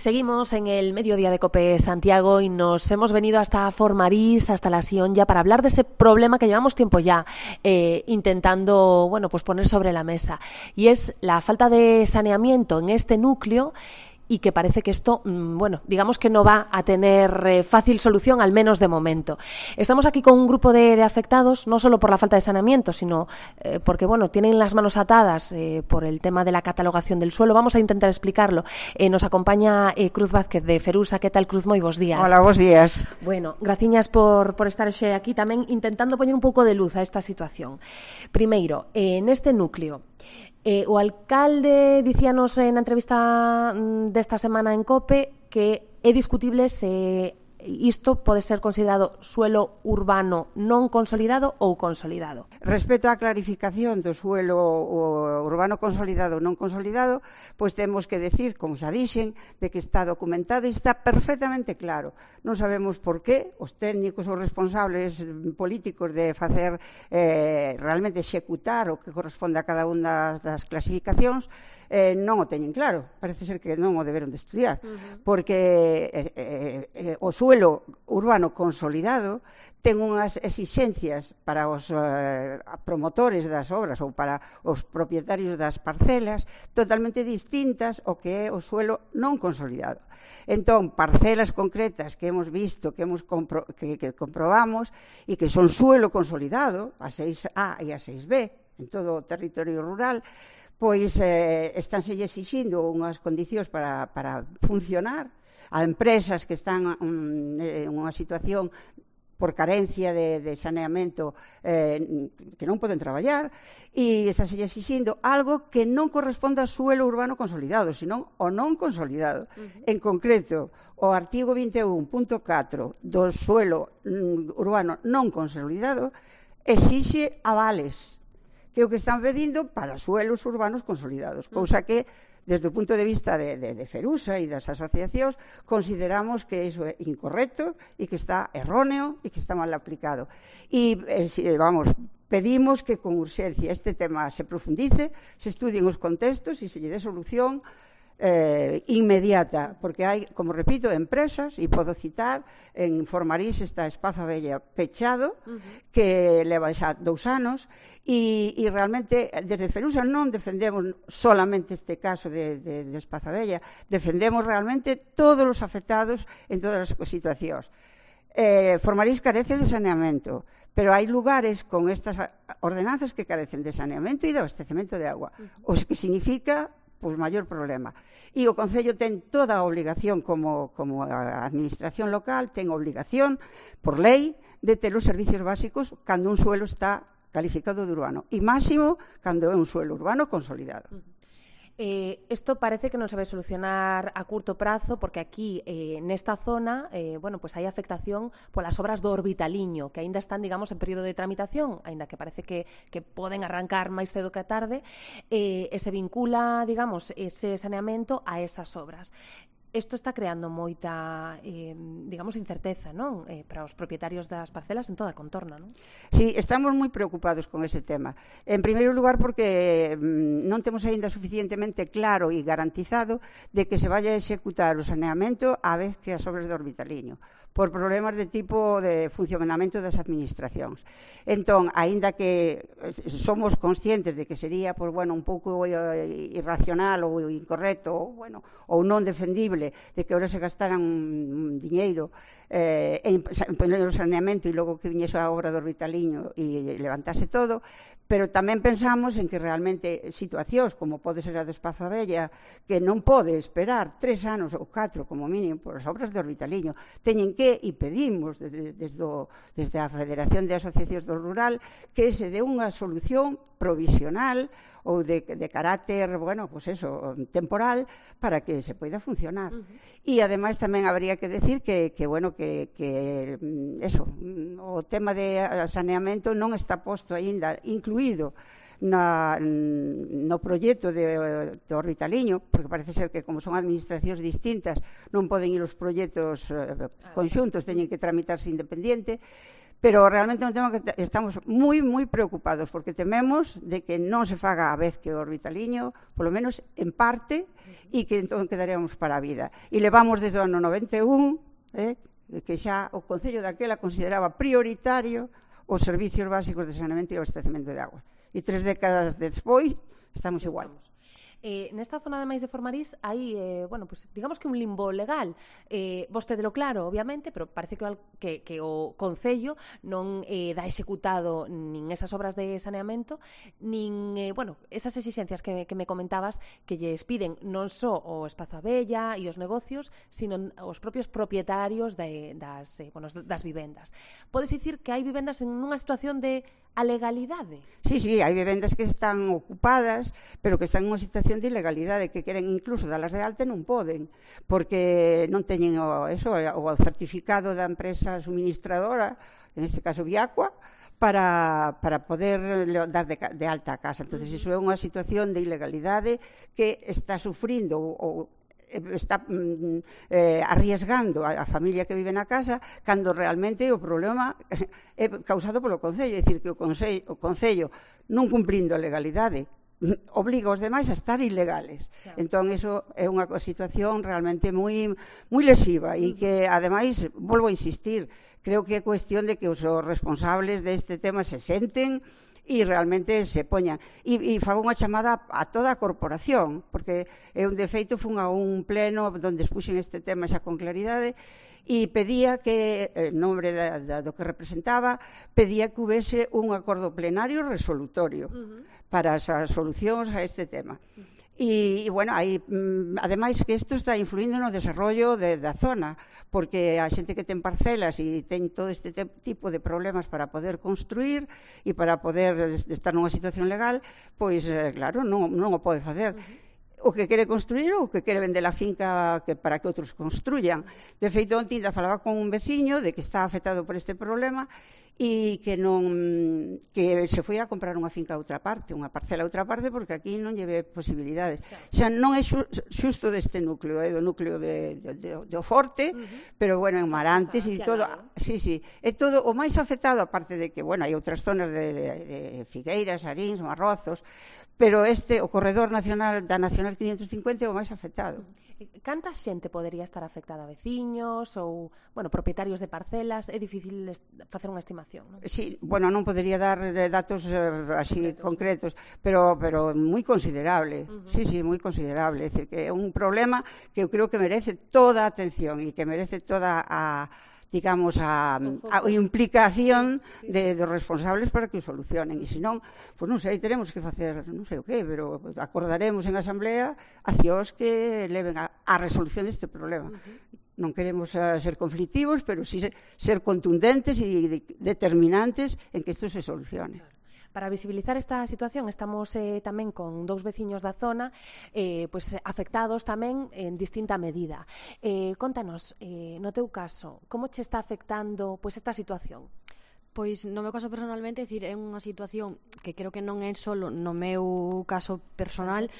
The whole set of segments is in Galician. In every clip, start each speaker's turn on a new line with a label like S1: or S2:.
S1: Seguimos en el mediodía de COPE Santiago y nos hemos venido hasta Formarís, hasta la Sionlla, para hablar de ese problema que llevamos tiempo ya intentando, bueno, pues poner sobre la mesa. Y es la falta de saneamiento en este núcleo y que parece que esto, bueno, digamos que no va a tener fácil solución, al menos de momento. Estamos aquí con un grupo de afectados, no solo por la falta de saneamiento, sino porque, bueno, tienen las manos atadas por el tema de la catalogación del suelo. Vamos a intentar explicarlo. Nos acompaña Cruz Vázquez de Ferusa. ¿Qué tal, Cruz? Moi bos días.
S2: Hola, bos días.
S1: Bueno, graciñas por estar xe aquí tamén intentando poñer un pouco de luz a esta situación. Primeiro, neste núcleo, o alcalde dicíanos na entrevista desta semana en COPE que é discutible se isto pode ser considerado suelo urbano non consolidado ou consolidado.
S2: Respecto á clarificación do suelo urbano consolidado ou non consolidado, pois temos que decir, como xa dixen, de que está documentado e está perfectamente claro. Non sabemos por qué os técnicos ou responsables políticos de facer realmente executar o que corresponde a cada unha das clasificacións non o teñen claro. Parece ser que non o deberon de estudiar, porque o suelo urbano consolidado ten unhas exixencias para os promotores das obras ou para os propietarios das parcelas totalmente distintas ao que é o suelo non consolidado. Entón, parcelas concretas que hemos visto, que comprobamos e que son suelo consolidado, a 6A e a 6B, en todo o territorio rural, pois estánse exixindo unhas condicións para funcionar a empresas que están en unha situación por carencia de saneamento que non poden traballar e estás exixindo algo que non corresponde ao suelo urbano consolidado, senón ao non consolidado. En concreto, o artigo 21.4 do suelo urbano non consolidado exixe avales, que é o que están pedindo para suelos urbanos consolidados, cousa que desde o punto de vista de Ferusa e das asociacións, consideramos que iso é incorrecto e que está erróneo e que está mal aplicado. E, pedimos que con urxencia este tema se profundice, se estudien os contextos e se lle dé solución inmediata, porque hai, como repito, empresas, e podo citar, en Formarís está Espazo Abella pechado, que leva xa 2 anos, e realmente desde Ferusa non defendemos solamente este caso de Espazo Abella, defendemos realmente todos os afectados en todas as situacións. Formarís carece de saneamento, pero hai lugares con estas ordenanzas que carecen de saneamento e de abastecemento de agua, o que significa pois maior problema. E o Concello ten toda a obligación, como a administración local, ten obligación, por lei, de ter os servicios básicos cando un suelo está calificado de urbano. E máximo cando é un suelo urbano consolidado.
S1: Isto parece que non se vai solucionar a curto prazo porque aquí, nesta zona, bueno, pues hai afectación polas obras do Orbitaliño, que aínda están, digamos, en período de tramitación, aínda que parece que poden arrancar máis cedo que a tarde, e se vincula, digamos, ese saneamento a esas obras. Isto está creando moita, digamos, incerteza, non? Para os propietarios das parcelas en toda a contorna, non?
S2: Sí, estamos moi preocupados con ese tema. En primeiro lugar, porque non temos aínda suficientemente claro e garantizado de que se vaya a executar o saneamento á vez que as obras do Orbitaliño, por problemas de tipo de funcionamento das administracións. Entón, aínda que somos conscientes de que sería, pois, bueno, un pouco irracional ou incorrecto ou non defendible de que ahora se gastaran un diñeiro en poner o saneamento e logo que viñese a obra do Orbitaliño e levantase todo, pero tamén pensamos en que realmente situacións como pode ser a do Espazo Abella, que non pode esperar 3 anos ou 4 como mínimo por as obras do Orbitaliño, teñen que, e pedimos desde a Federación de Asociacións do Rural, que se dé unha solución provisional ou de carácter, bueno, pues eso, temporal, para que se poida funcionar. E, ademais, tamén habría que decir que eso, o tema de saneamento non está posto aínda, incluído no proxecto do Orbitaliño, porque parece ser que como son administracións distintas non poden ir os proxectos conxuntos, teñen que tramitarse independiente, Pero realmente é un tema que estamos moi preocupados, porque tememos de que non se faga a vez que o Orbitaliño, polo menos en parte, e que entón quedaríamos para a vida. E levamos desde o ano 91, que xa o Concello daquela consideraba prioritario os servicios básicos de saneamento e abastecemento de agua. E 3 décadas despois estamos igual.
S1: Nesta zona ademais de Formarís hai, pues, digamos que un limbo legal. Vostedelo claro, obviamente, pero parece que o Concello non dá executado nin esas obras de saneamento, nin, esas exixencias que me comentabas que lles piden non só o Espazo Abella e os negocios, sino os propios propietarios das vivendas. Podes dicir que hai vivendas en unha situación de alegalidade?
S2: Sí, hai vivendas que están ocupadas, pero que están en unha situación de ilegalidade, que queren incluso dalas de alta e non poden, porque non teñen o certificado da empresa suministradora, en este caso Viacua, para poder dar de alta a casa. Entonces, iso é unha situación de ilegalidade que está sufrindo ou está arriesgando a familia que vive na casa, cando realmente o problema é causado polo Concello, é dicir, que o Concello non cumprindo a legalidade obliga os demais a estar ilegales. Entón, iso é unha situación realmente moi lesiva e que, ademais, volvo a insistir, creo que é cuestión de que os responsables deste tema se senten e realmente se poñan. E fago unha chamada a toda a corporación, porque de feito fun a un pleno onde expuxen este tema xa con claridade e pedía que, en nombre do que representaba, pedía que houvese un acordo plenario resolutorio para as solucións a este tema. E aí, ademais, que isto está influindo no desarrollo da zona, porque a xente que ten parcelas e ten todo este tipo de problemas para poder construir e para poder estar nunha situación legal, pois, claro, non o pode facer. O que quere construir ou o que quere vender a finca para que outros construyan. De feito, onte ainda falaba con un veciño de que está afectado por este problema e que se foi a comprar unha finca a outra parte, unha parcela a outra parte, porque aquí non lle ve posibilidades. Xa non é xusto deste núcleo, do núcleo do Forte, pero, en Marantes e todo. Sí, é todo o máis afectado, aparte de que, hai outras zonas de Figueiras, Arins, Marrozos, pero o corredor nacional da Nacional 550 é o máis afectado.
S1: Canta xente podería estar afectada? Veciños ou, propietarios de parcelas? É difícil facer unha estimación, non?
S2: Sí, non podería dar datos así concretos, pero moi considerable. Sí, moi considerable. É dicir, que é un problema que eu creo que merece toda a atención e que merece toda a implicación dos responsables para que o solucionen. E senón, non sei, teremos que facer non sei o que, pero acordaremos en asamblea accións que leven a resolución deste problema. Non queremos ser conflictivos, pero sí ser contundentes e determinantes en que isto se solucione.
S1: Para visibilizar esta situación estamos tamén con 2 veciños da zona afectados tamén en distinta medida. Contanos, no teu caso, como che está afectando esta situación?
S3: Pois no meu caso personalmente, é unha situación que creo que non é só no meu caso personal,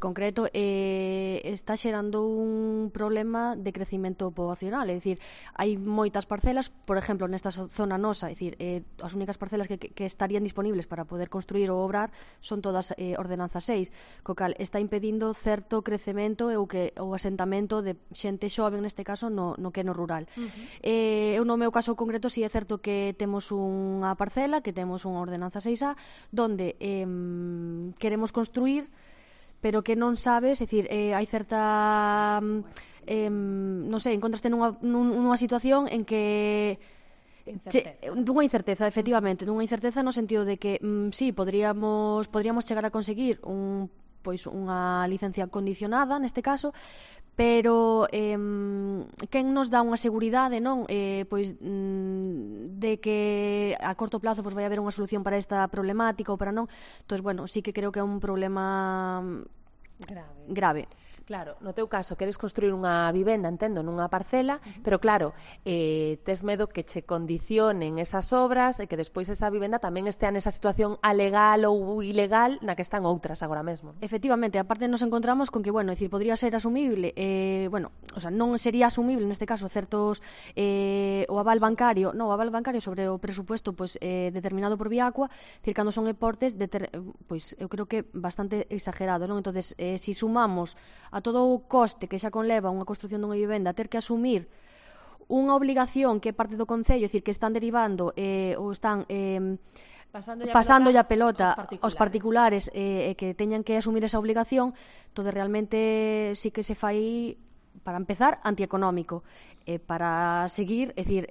S3: concreto, está xerando un problema de crecimento poboacional, hai moitas parcelas, por exemplo, nesta zona nosa, as únicas parcelas que estarían disponibles para poder construir ou obrar son todas ordenanza 6, co cal está impedindo certo crecemento e o asentamento de xente xoven, neste caso, no que é no rural. Eu no meu caso concreto, si é certo que temos unha parcela, que temos unha ordenanza 6A, donde queremos construir, pero que non sabes, hai certa, non sei, encontraste nunha situación en que dunha incerteza, efectivamente, dunha incerteza no sentido de que sí, podríamos chegar a conseguir unha licencia condicionada neste caso, pero quen nos dá unha seguridade, non? De que a corto plazo vai haber unha solución para esta problemática ou para non. Entón, sí que creo que é un problema grave.
S1: Claro, no teu caso queres construir unha vivenda, entendo, nunha parcela, pero claro, tes medo que che condicionen esas obras e que despois esa vivenda tamén estea nesa situación alegal ou ilegal na que están outras agora mesmo.
S3: Efectivamente, aparte nos encontramos con que, bueno, decir, podría ser asumible, bueno, o sea, non sería asumible neste caso certos o aval bancario sobre o presupuesto pois determinado por Viacua, decir, cando son importes pois eu creo que bastante exagerado, non? Entonces, si sumamos a todo o coste que xa conleva unha construción dunha vivenda, ter que asumir unha obligación que é parte do Concello, é dicir, que están derivando ou están pasando a pelota aos particulares que teñan que asumir esa obligación, todo realmente sí que se fai, para empezar, antieconómico, para seguir, é dicir,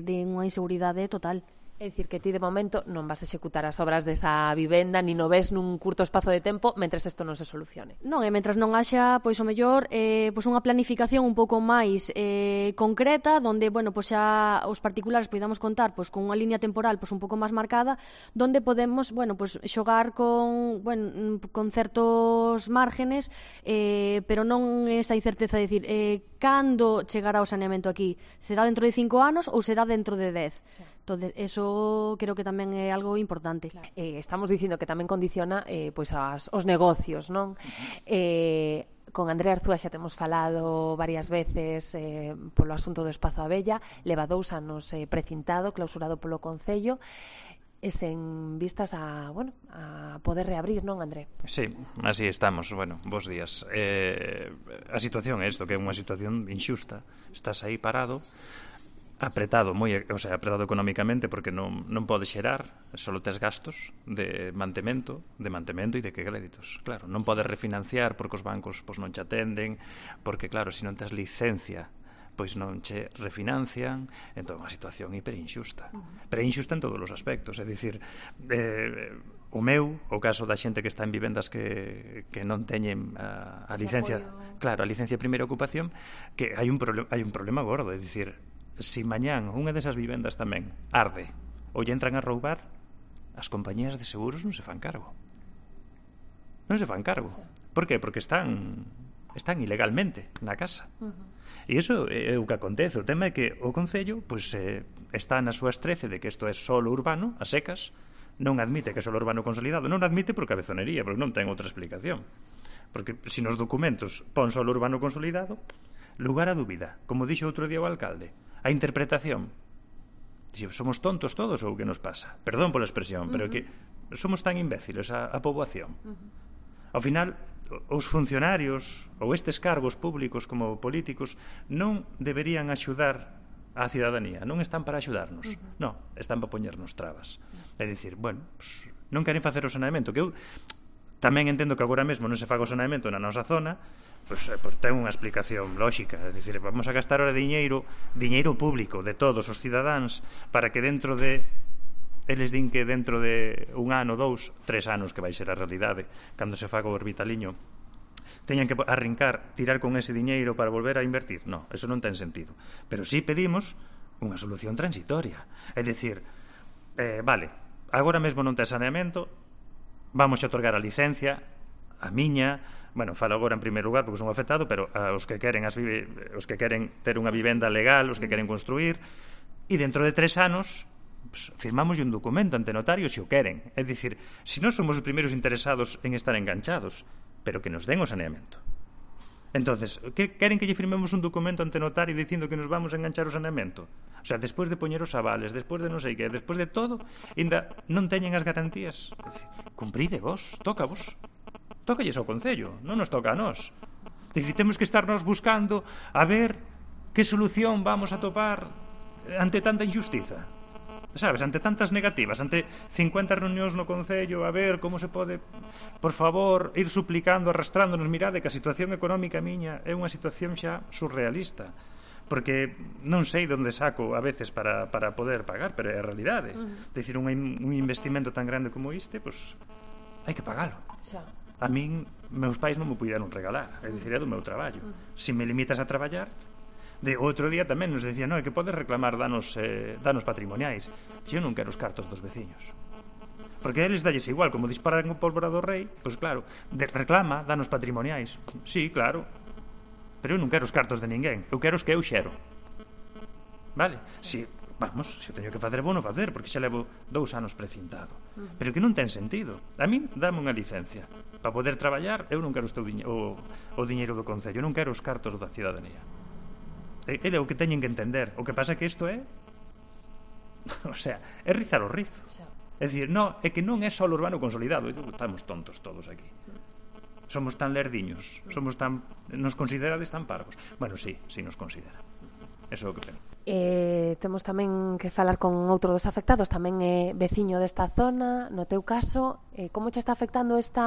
S3: de unha inseguridade total.
S1: É dicir, que ti de momento non vas a executar as obras desa vivenda, ni no ves nun curto espazo de tempo, mentres isto non se solucione.
S3: Non, e mentres non haxa, pois o mellor, pois unha planificación un pouco máis concreta, donde, bueno, pois xa os particulares podamos contar pois con unha línea temporal pois un pouco máis marcada, donde podemos, bueno, pois xogar con certos márgenes, pero non esta incerteza de dicir, cando chegará o saneamento aquí? Será dentro de 5 anos ou será dentro de 10? Sí. Entonces, eso creo que tamén é algo importante.
S1: Claro. Estamos dicindo que tamén condiciona pois os negocios, non? Con Andrea Arzúa xa temos falado varias veces polo asunto do Espazo Abella, leva 2 anos precintado, clausurado polo Concello, e sen vistas a poder reabrir, non, André?
S4: Sí, así estamos. Bueno, bos días. A situación é isto, que é unha situación inxusta. Estás aí parado, apretado económicamente, porque non podes xerar, só tes gastos de mantemento e de que créditos. Claro, non podes refinanciar porque os bancos pois non che atenden, porque claro, se non tes licencia pois non che refinancian, entón unha situación hiperinxusta. Pero inxusta en todos os aspectos, é dicir, o caso da xente que está en vivendas que non teñen a licencia, claro, a licencia de primeira ocupación, que hai un problema gordo, é dicir, se mañán unha desas vivendas tamén arde ou lle entran a roubar, as compañías de seguros non se fan cargo. Non se fan cargo. Por qué? Porque están ilegalmente na casa. E iso é o que acontece. O tema é que o Concello pois, está na súa estrece de que isto é solo urbano, a secas, non admite que é solo urbano consolidado, non admite por cabezonería, porque non ten outra explicación. Porque se nos documentos pon solo urbano consolidado, lugar a dúbida, como dixo outro día o alcalde, a interpretación. Somos tontos todos ou que nos pasa? Perdón pola expresión, pero que somos tan imbéciles a poboación. Ao final, os funcionarios ou estes cargos públicos como políticos non deberían axudar á cidadanía, non están para axudarnos, non, están para poñernos trabas. É dicir, bueno, pues, non queren facer o saneamento, que eu tamén entendo que agora mesmo non se faga o saneamento na nosa zona, pois ten unha explicación lóxica, é dicir, vamos a gastar ahora diñeiro público de todos os cidadáns para que eles din que dentro de 1 ano, 2, 3 anos, que vai ser a realidade, cando se faga o orbitaliño, teñan que arrincar, tirar con ese diñeiro para volver a invertir. No, eso non ten sentido. Pero sí pedimos unha solución transitoria. É dicir, vale, agora mesmo non ten saneamento, vamos a otorgar a licencia, a miña, bueno, falo agora en primeiro lugar porque son afectado, pero os que queren ter unha vivenda legal, os que queren construir, e dentro de 3 anos pues, firmamos un documento ante notario se o queren. É dicir, se non somos os primeiros interesados en estar enganchados, pero que nos den o saneamento. Entonces, que queren que lle firmemos un documento ante notario dicindo que nos vamos a enganchar o saneamento? O sea, despois de poñer os avales, despois de non sei que, despois de todo, ainda non teñen as garantías. Cumpride vos, toca vos. Tócalles ao Concello, non nos toca a nós. Dicir, temos que estarnos buscando a ver que solución vamos a topar ante tanta injustiza. Sabes, ante tantas negativas, ante 50 reunións no Concello, a ver como se pode, por favor, ir suplicando, arrastrándonos. Mirade que a situación económica miña é unha situación xa surrealista, porque non sei onde saco a veces para poder pagar, pero é a realidade. Decir, un investimento tan grande como este, pois hai que pagalo. A min, meus pais non me puderon regalar, é dicir, é do meu traballo. Se me limitas a traballar, de outro día tamén nos decía, non, é que podes reclamar danos patrimoniais. Se eu non quero os cartos dos veciños. Porque a eles dalles igual, como disparan o pólvora do rei, pois claro, reclama danos patrimoniais. Sí, claro. Pero eu non quero os cartos de ninguén, eu quero os que eu xero. Vale? Si, vamos, se teño que facer, vou non facer, porque xa levo 2 anos precintado. Pero que non ten sentido. A min dame unha licencia. Para poder traballar, eu non quero o diñeiro do Concello, non quero os cartos da cidadanía. Ele é o que teñen que entender. O que pasa é que isto é... o sea, é rizar o rizo. É dicir, no, é que non é só o urbano consolidado. Estamos tontos todos aquí. Somos tan lerdiños, nos considerades tan parvos. Bueno, sí nos considera. Eso é o que creo.
S1: Temos tamén que falar con outro dos afectados, tamén é veciño desta zona. No teu caso, como che está afectando este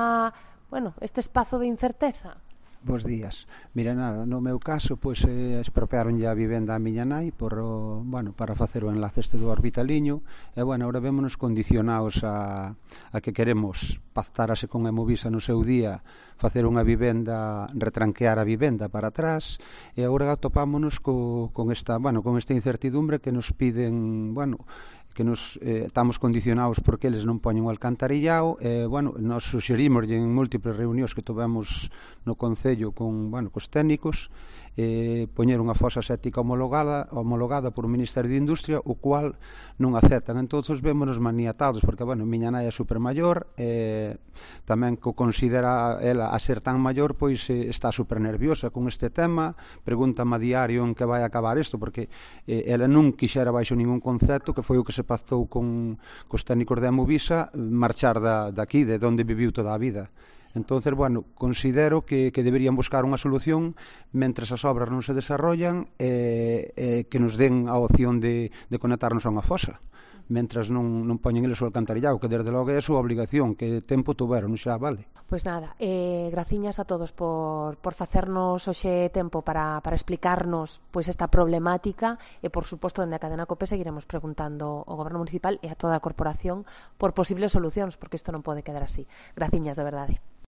S1: espazo de incerteza?
S5: Bos días. Mira, nada, no meu caso, pois expropiaronlle a vivenda a miña nai para facer o enlace do orbitaliño, e agora vémonos condicionados a que queremos pactarase con Emovisa no seu día, facer unha vivenda, retranquear a vivenda para atrás, e agora topámonos con esta incertidumbre que nos piden, que nos estamos condicionados porque eles non poñen o alcantarillado. Nos suxerimos en múltiples reunións que tovemos no Concello cos técnicos poñer unha fosa séptica homologada por o Ministerio de Industria, o cual non aceptan. Entonces vémonos maniatados porque miña nai é supermaior, tamén que considera ela a ser tan maior, pois está super nerviosa con este tema, pregúntame a diario en que vai acabar isto, porque ela non quixera baixo ningún concepto, que foi o que se pactou cos técnicos de Emovisa, marchar daqui, de onde viviu toda a vida. Entonces, considero que deberían buscar unha solución mentres as obras non se desarrollan, que nos den a opción de conectarnos a unha fosa, mentras non poñen eles o alcantarillado, que desde logo é a súa obligación, que tempo tuveron xa, vale.
S1: Pois nada, graciñas a todos por facernos hoxe tempo para explicarnos esta problemática, e por suposto dende a Cadena COPE seguiremos preguntando ao Goberno Municipal e a toda a corporación por posibles solucións, porque isto non pode quedar así. Graciñas, de verdade.